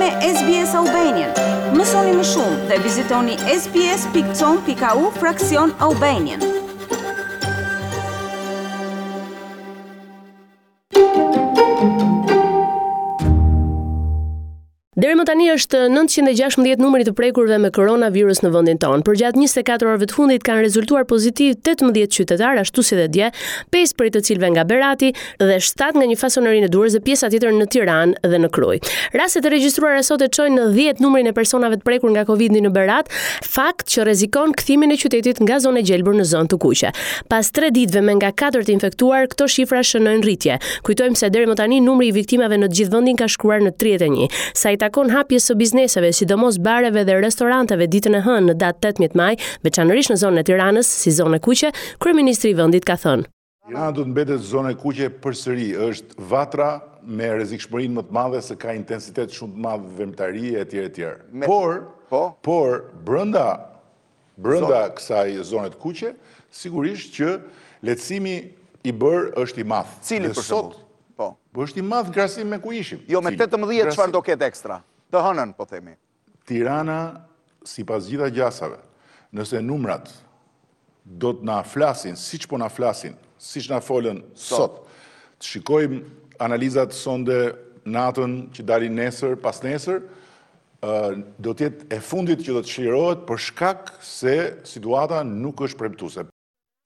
me SBS Albanian. Mësoni më shumë dhe vizitoni sbs.com.au fraksion Albanian. Deri më tani është 916 numri i të prekurve me koronavirus në vendin tonë. Përgjatë 24 orëve të fundit kanë rezultuar pozitiv 18 qytetarë, ashtu si dhe dje, 5 prej të cilëve nga Berati dhe 7 nga një fasoneri në Durrës dhe pjesa tjetër në Tiranë dhe në Krujë. Rastet e regjistruara sot e çojnë në 10 numrin e personave të prekur nga Covidi në Berat, fakt që rrezikon kthimin e qytetit nga zonë e gjelbër në zonë të kuqe. Pas 3 ditëve me nga 4 të infektuar, këto shifra shënojnë rritje. Kujtojmë se deri më tani numri i viktimave në të gjithë vendin ka shkuar në 31. Sa i takon hapjes së bizneseve, sidomos bareve dhe restoranteve ditën e hënë në datë 18 maj, veçanërisht në zonën e Tiranës, si zonë e kuqe, kryeministri i vendit ka thënë. Tirana do të mbetet zonë e kuqe përsëri, është vatra me rrezikshmërinë më të madhe se ka intensitet shumë të madh veprimtarie etj etj. Por, po? por brenda Brenda kësaj zone të kuqe, sigurisht që lehtësimi i bërë është i madh. Cili për shembull? Po. Po është i madh në krahasim me ku ishim. Jo, me 18 çfarë do ketë ekstra? Të hënën, po themi. Tirana, sipas gjitha gjasave, nëse numrat do të na flasin siç po na flasin, siç na folën sot, të shikojmë analizat sonde natën që dalin nesër, pasnesër, do të jetë e fundit që do të çlirohet për shkak se situata nuk është premtuese.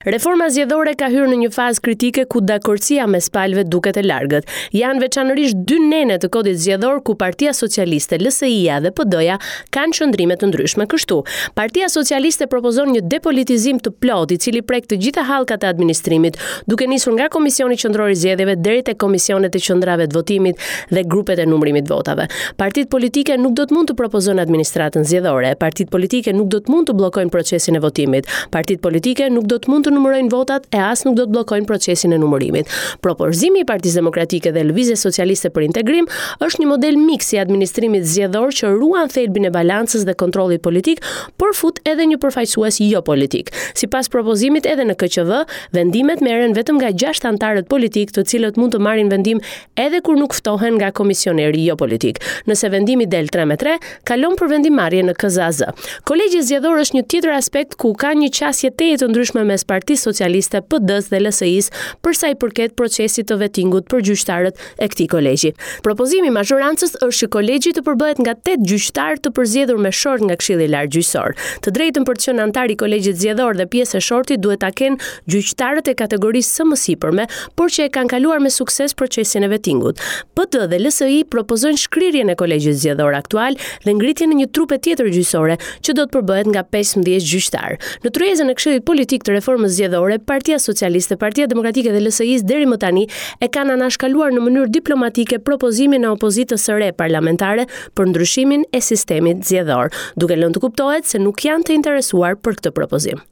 Reforma zgjedhore ka hyrë në një fazë kritike ku dakordësia mes palëve duket e largët. Janë veçanërisht dy nene të kodit zgjedhor ku Partia Socialiste, LSI-ja dhe PD-ja kanë qëndrime të ndryshme. Kështu, Partia Socialiste propozon një depolitizim të plotë i cili prek të gjitha hallkat e administrimit, duke nisur nga Komisioni Qendror i Zgjedhjeve deri te komisionet e qendrave të votimit dhe grupet e numrimit të votave. Partitë politike nuk do të mund të propozojnë administratën zgjedhore, partitë politike nuk do të mund të bllokojnë procesin e votimit, partitë politike nuk do të mund të numërojnë votat e as nuk do të bllokojnë procesin e numërimit. Propozimi i Partisë Demokratike dhe Lëvizjes Socialiste për Integrim është një model miks i administrimit zgjedhor që ruan thelbin e balancës dhe kontrollit politik, por fut edhe një përfaqësues jo politik. Sipas propozimit edhe në KQV, vendimet merren vetëm nga 6 anëtarët politikë, të cilët mund të marrin vendim edhe kur nuk ftohen nga komisioneri jo politik. Nëse vendimi del 3 me 3, kalon për vendimmarrje në KZAZ. Kolegji zgjedhor është një tjetër aspekt ku ka një qasje tejet të ndryshme mes Partisë Socialiste, PD-së dhe LSI-së për sa i përket procesit të vetingut për gjyqtarët e këtij kolegji. Propozimi i mazhorancës është që kolegji të përbëhet nga 8 gjyqtarë të përzgjedhur me short nga Këshilli i Lartë Gjyqësor. Të drejtën për të qenë anëtar i kolegjit zgjedhor dhe pjesë e shortit duhet ta kenë gjyqtarët e kategorisë së mësipërme, por që e kanë kaluar me sukses procesin e vetingut. PD dhe LSI propozojnë shkrirjen e kolegjit zgjedhor aktual dhe ngritjen e një trupe tjetër gjyqësore që do të përbëhet nga 15 gjyqtarë. Në tryezën e Këshillit Politik të Reformës Zgjedhore, Partia Socialiste, Partia Demokratike dhe LSI-së deri më tani e kanë anashkaluar në mënyrë diplomatike propozimin e opozitës së re parlamentare për ndryshimin e sistemit zgjedhor, duke lënë të kuptohet se nuk janë të interesuar për këtë propozim.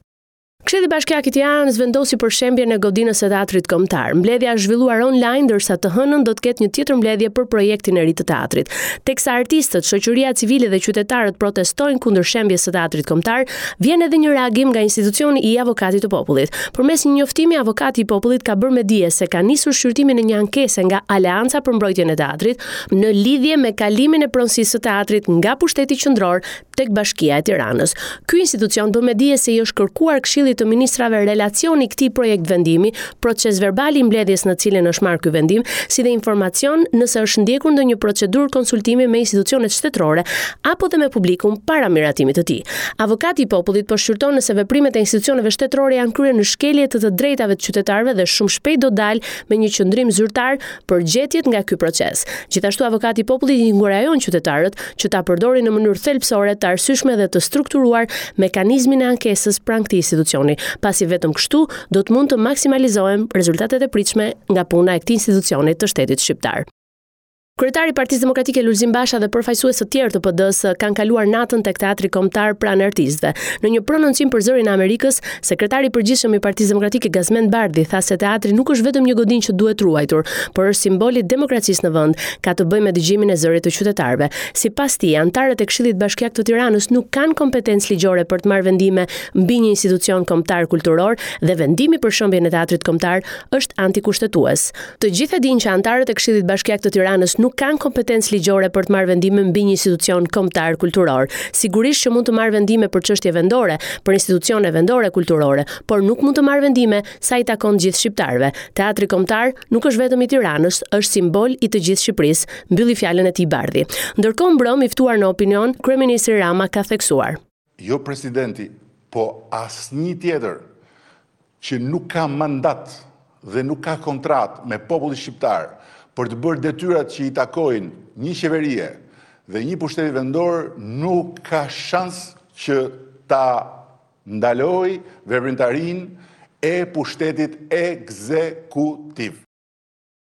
Këshilli Bashkiak i Tiranës vendosi për shembjen e godinës së Teatrit Kombëtar. Mbledhja është zhvilluar online, ndërsa të hënën do të ketë një tjetër mbledhje për projektin e ri të teatrit. Teksa artistët, shoqëria civile dhe qytetarët protestojnë kundër shembjes së Teatrit Kombëtar, vjen edhe një reagim nga institucioni i Avokatit të Popullit. Përmes një njoftimi, Avokati i Popullit ka bërë me dije se ka nisur shqyrtimin e një ankese nga Aleanca për Mbrojtjen e Teatrit në lidhje me kalimin e pronësisë së teatrit nga pushteti qendror tek Bashkia e Tiranës. Ky institucion bën me dije se i është kërkuar Këshillit të Ministrave relacioni i këtij projektvendimi, procesverbali i mbledhjes në cilën është marrë ky vendim, si dhe informacion nëse është ndjekur ndonjë procedurë konsultimi me institucionet shtetërore apo dhe me publikun para miratimit të tij. Avokati i Popullit po shqyrton nëse veprimet e institucioneve shtetërore janë kryer në shkelje të të drejtave të qytetarëve dhe shumë shpejt do dalë me një qëndrim zyrtar për gjetjet nga ky proces. Gjithashtu Avokati i Popullit inkurajon qytetarët që ta përdorin në mënyrë thelbësore, të arsyeshme dhe të strukturuar mekanizmin e ankesës pranë këtij institucioni, pasi vetëm kështu do të mund të maksimalizohen rezultatet e pritshme nga puna e këtij institucioni të shtetit shqiptar. Kryetari i Partisë Demokratike Lulzim Basha dhe përfaqësues të tjerë të PD-së kanë kaluar natën tek Teatri Kombëtar pranë artistëve. Në një prononcim për Zërin e Amerikës, sekretari i përgjithshëm i Partisë Demokratike Gazmend Bardhi tha se teatri nuk është vetëm një godinë që duhet ruajtur, por është simbol i demokracisë në vend, ka të bëjë me dëgjimin e zërit të qytetarëve. Sipas tij, anëtarët e Këshillit Bashkiak të Tiranës nuk kanë kompetencë ligjore për të marrë vendime mbi një institucion kombëtar kulturor dhe vendimi për shembjen e Teatrit Kombëtar është antikushtetues. Të gjithë e dinë që anëtarët e Këshillit Bashkiak të Tiranës nuk. nuk kanë kompetencë ligjore për të marrë vendime mbi një institucion kombëtar kulturor. Sigurisht që mund të marrë vendime për çështje vendore, për institucione vendore kulturore, por nuk mund të marrë vendime sa i takon gjithë shqiptarëve. Teatri Kombëtar nuk është vetëm i Tiranës, është simbol i të gjithë Shqipërisë, mbylli fjalën e tij Bardhi. Ndërkohë mbrëmë i ftuar në Opinion, kryeministri Rama ka theksuar. Jo presidenti, po asnjë tjetër që nuk ka mandat dhe nuk ka kontratë me popullin shqiptar për të bërë detyrat që i takojnë një qeverie dhe një pushteti vendor nuk ka shans që ta ndalojë veprimtarinë e pushtetit ekzekutiv.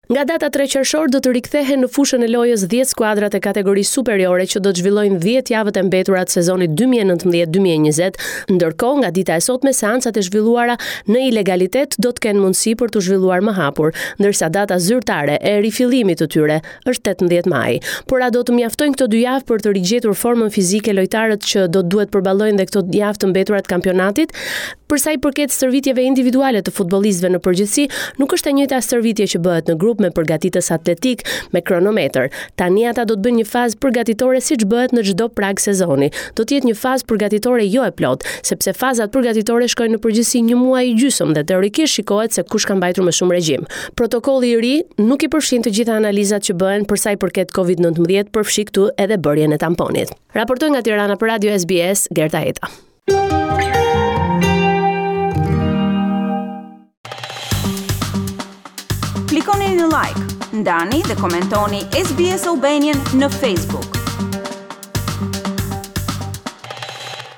Nga data 3 qershor do të rikthehen në fushën e lojës 10 skuadrat e kategorisë superiore që do të zhvillojnë 10 javët e mbetura të sezonit 2019-2020. Ndërkohë, nga dita e sotme seancat e zhvilluara në ilegalitet do të kenë mundësi për t'u zhvilluar më hapur, ndërsa data zyrtare e rifillimit të tyre është 18 maji. Por a do të mjaftojnë këto dy javë për të rigjetur formën fizike lojtarët që do të duhet përballojnë dhe këto javë të mbetura të kampionatit? Për sa i përket stërvitjeve individuale të futbollistëve në përgjithësi, nuk është e njëjta stërvitje që bëhet në grup me përgatitës atletik, me kronometër. Tani ata do të bëjnë një fazë përgatitore siç bëhet në çdo prag sezoni. Do të jetë një fazë përgatitore jo e plotë, sepse fazat përgatitore shkojnë në përgjithësi një muaj e gjysmë dhe teorikisht shikohet se kush ka mbajtur më shumë regjim. Protokolli i ri nuk i përfshin të gjitha analizat që bëhen për sa i përket Covid-19, përfshi këtu edhe bërjen e tamponit. Raportoi nga Tirana për Radio SBS, Gerta Heta. Klikoni në like, ndani dhe komentoni SBS Albanian në Facebook.